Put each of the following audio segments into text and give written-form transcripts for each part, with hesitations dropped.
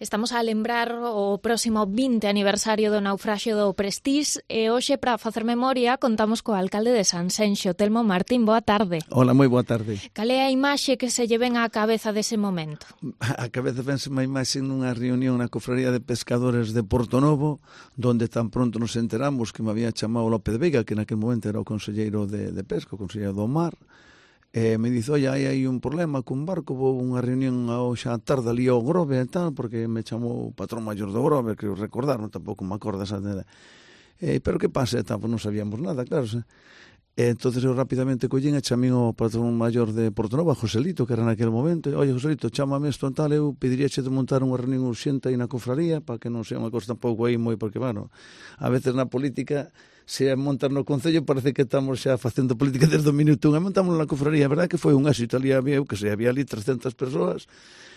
Estamos a lembrar o próximo 20 aniversario do naufraxio do Prestige e hoxe, para facer memoria, contamos co alcalde de Sanxenxo, Telmo Martín. Boa tarde. Hola, moi boa tarde. Cal é a imaxe que se lle ven á cabeza dese momento? A cabeza vense unha imaxe nunha reunión na cofraría de pescadores de Portonovo, donde tan pronto nos enteramos que me había chamado López Veiga, que naquele momento era o conselleiro de pesca, o conselleiro do mar. Me dice, oi, hai un problema cun barco, vou unha reunión hoxe á tarde ali ao Grove e tal, porque me chamou o patrón maior do Grove, creo recordar, non tampouco me acordo esa de... pero que pasa? Pues non sabíamos nada, claro. Entonces eu rapidamente collín e chamín o patrón maior de Portonovo, Joselito, que era naquele momento. Oye, Joselito, chámame isto en tal, eu pediríache de montar unha reunión urxente aí na cofraría, para que non sea unha cosa tampouco aí moi, porque, bueno, a veces na política, se montar no Concello, parece que estamos xa facendo política desde o minuto 1, e montamos na cofraría. A verdade que foi un éxito, ali había, eu que sei, había ali 300 persoas,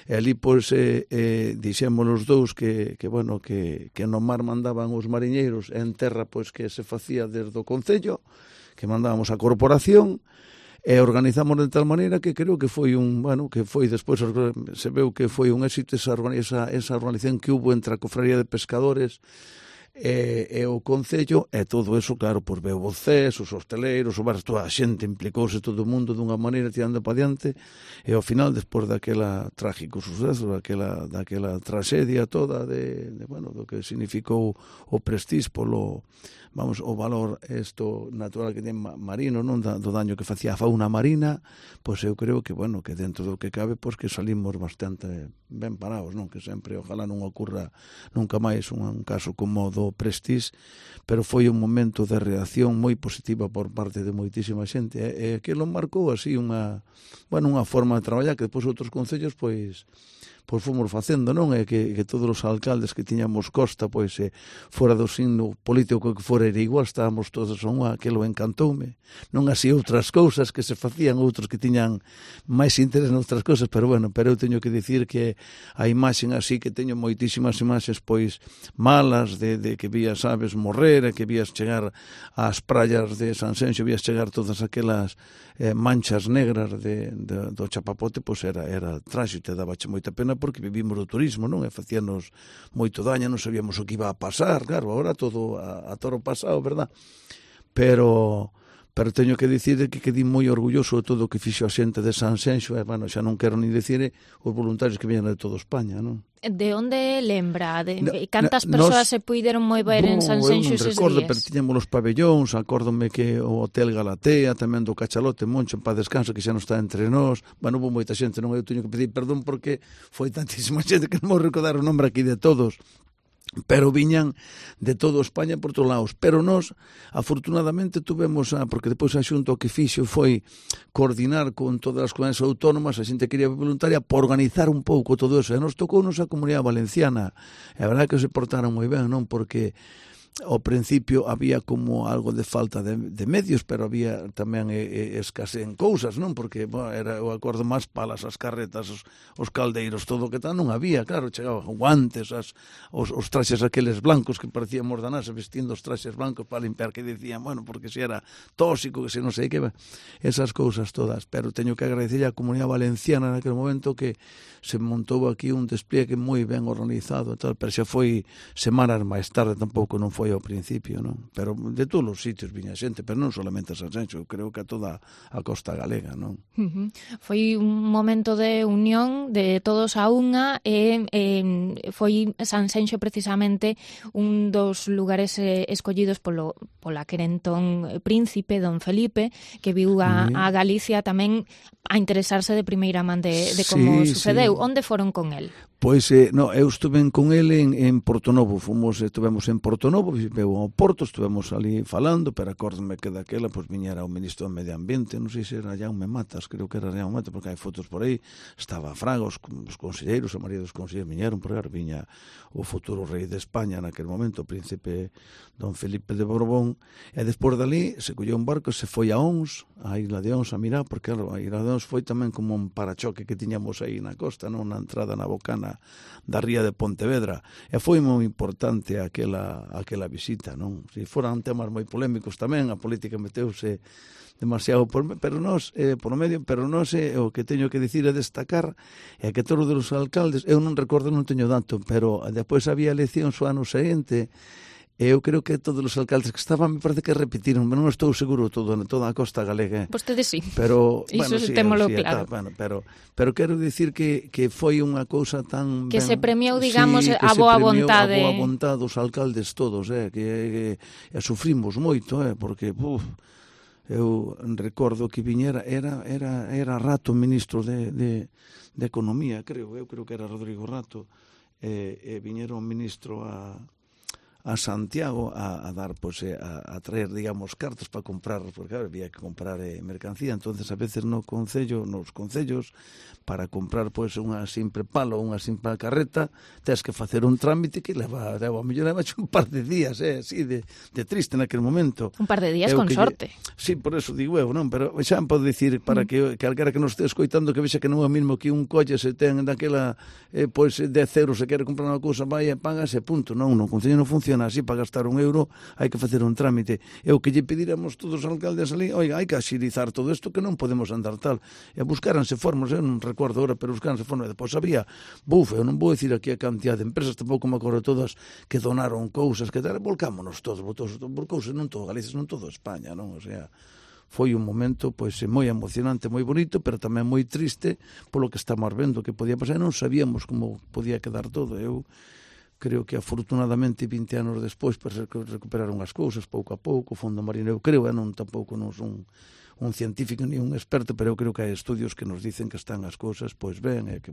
e ali, pois, dixemos os dous que no mar mandaban os mariñeiros, e en terra, pois, que se facía desde o Concello, que mandábamos a corporación, e organizamos de tal maneira que creo que foi que foi despois, se veu que foi un éxito esa organización que hubo entre a cofraría de pescadores e o Concello, e todo eso, claro, por veu os CES, os hosteleiros, toda a xente implicouse, todo o mundo dunha maneira tirando para diante, e ao final, despois daquela trágico suceso, daquela traxedia toda do que significou o Prestige polo, o valor natural que ten marino, non, do daño que facía a fauna marina, pois eu creo que, que dentro do que cabe, pois que salimos bastante ben parados, non, que sempre, ojalá non ocurra nunca máis un caso como o do Prestige, pero foi un momento de reacción moi positiva por parte de moitísima xente, e aquilo marcou así unha forma de traballar que depois outros concellos pois fomos facendo, non? E que todos os alcaldes que tiñamos costa, pois, fora do signo político que fora era igual, estábamos todos a unha, aquilo encantoume. Non así outras cousas que se facían, outros que tiñan máis interés noutras cousas, pero eu teño que dicir que a imaxen así, que teño moitísimas imaxes, pois, malas, de que vías aves morrer, e que vías chegar ás praias de Sanxenxo, vías chegar todas aquelas manchas negras do chapapote, pois era trágico, te dabache moita pena, porque vivimos do turismo, non? E facíanos moito daño, non sabíamos o que iba a pasar, claro, agora todo a toro pasado, verdad? Pero teño que dicir que quedei moi orgulloso de todo o que fixo a xente de Sanxenxo, e, xa non quero ni dicir os voluntarios que viñan de toda España, non? De onde lembra? Cantas persoas se puideron mover en Sanxenxo eses días? Non recordo, pero tiñamos os pabellóns, acórdome que o Hotel Galatea, tamén do Cachalote, Moncho, en paz descanso, que xa non está entre nós. Houve moita xente, non, eu teño que pedir perdón porque foi tantísima xente que non vou recordar o nombre aquí de todos, pero viñan de todo España por todos lados. Pero nós, afortunadamente, tuvemos, porque depois a Xunta o que fixo foi coordinar con todas as comunidades autónomas, a xente quería voluntaria, para organizar un pouco todo eso, e nos tocou a Comunidade Valenciana, e a verdade que se portaron moi ben, non, porque ao principio había como algo de falta de medios, pero había tamén escasez en cousas, non? Porque era o acordo máis palas, as carretas, os caldeiros, todo o que tal, non había, claro, chegaban guantes, os traxes aqueles blancos que parecían mordanás, vestindo os traxes blancos para limpiar, que dicían, porque se era tóxico, que se non sei que, esas cousas todas. Pero teño que agradecer a Comunidade Valenciana naquele momento que se montou aquí un despliegue moi ben organizado, tal, pero xa foi semanas máis tarde, tampouco non foi ao principio, non? Pero de todos os sitios viña xente, pero non solamente a Sanxenxo, eu creo que a toda a costa galega, non? Foi un momento de unión de todos a unha, e foi Sanxenxo precisamente un dos lugares escollidos pola querentón príncipe Don Felipe, que viu a Galicia tamén a interesarse de primeira man de como sucedeu. Onde foron con el? Pois, eu estuve con ele en Portonovo, estivemos en Portonovo, veu ao Porto, estivemos ali falando, pero acórdome que daquela, pois, viñera o ministro do Medio Ambiente, non sei se era Jaume Matas, creo que era Jaume Matas, porque hai fotos por aí, estaba Fraga, os conselleiros, a maioría dos conselleiros viñeron, por aí viña o futuro rei de España naquele momento, o príncipe Don Felipe de Borbón, e despois dali se colleu un barco e se foi a Ons, a Isla de Ons, a mirar, porque, claro, a Isla de Ons foi tamén como un parachoque que tiñamos aí na costa, non, na entrada na Bocana da ría de Pontevedra, e foi moi importante aquela visita, non? Se foran temas moi polémicos tamén, a política meteuse demasiado por no medio, pero nós o que teño que dicir e destacar é que todos os alcaldes, eu non recordo, non teño dato, pero depois había eleccións o ano seguinte. Eu creo que todos os alcaldes que estaban, me parece que repetiron, pero non estou seguro toda a costa galega. Vostedes sí. Pero, iso témolo claro. Pero quero dicir que foi unha cousa tan... Que se premiou, digamos, a boa vontade. A boa vontade dos alcaldes todos, que sufrimos moito, porque... eu recordo que viñera, era Rato ministro de Economía, eu creo que era Rodrigo Rato, e viñera un ministro a Santiago a dar, a traer, digamos, cartas para comprar, porque claro, había que comprar mercancía, entonces a veces nos concellos, para comprar unha simple palo, unha simple carreta, tens que facer un trámite que leva a mellor un par de días, así de triste naquele momento. Un par de días con sorte. Sí, por eso digo eu, non? Pero xa podo dicir, para que calquera que nos este escoitando, que vexa que non é o mismo que un colle se ten daquela, 10 euros, se quere comprar unha cousa, vai e pagas e punto. Non, no concello non funciona así, para gastar €1 hai que facer un trámite. E o que lle pediramos todos os alcaldes ali, oiga, hai que axilizar todo isto, que non podemos andar tal. E buscaranse formas, eu non recordo agora, pero buscaranse formas. Depois había, eu non vou dicir aquí a cantidad de empresas, tampouco me acordo todas, que donaron cousas, que tal, volcámonos todos, volcouse non todo Galicia, non todo España, non? O sea, foi un momento moi emocionante, moi bonito, pero tamén moi triste polo que estamos vendo que podía pasar, non sabíamos como podía quedar todo. Eu creo que afortunadamente 20 anos despois recuperaron as cousas pouco a pouco, o Fondo Marino, eu creo, tampouco non son un científico ni un experto, pero eu creo que hai estudios que nos dicen que están as cousas ben, e que,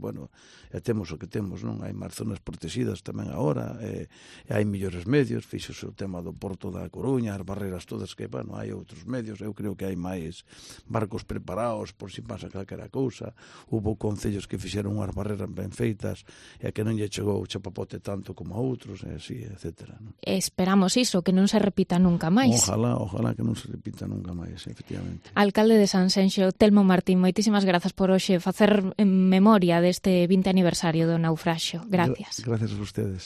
temos o que temos, non? Hai máis zonas protegidas tamén agora, e hai millores medios, fixose o tema do Porto da Coruña, as barreras todas que, hai outros medios, eu creo que hai máis barcos preparados por si pasa calquera cousa, hubo concellos que fixeron unhas barreras ben feitas, e que non lle chegou o chapapote tanto como a outros, e así, etcétera. Esperamos iso, que non se repita nunca máis. Ojalá que non se repita nunca máis, efectivamente. Alcalde de Sanxenxo, Telmo Martín, moitísimas grazas por hoxe facer memoria deste 20 aniversario do naufraxio. Gracias. Gracias a ustedes.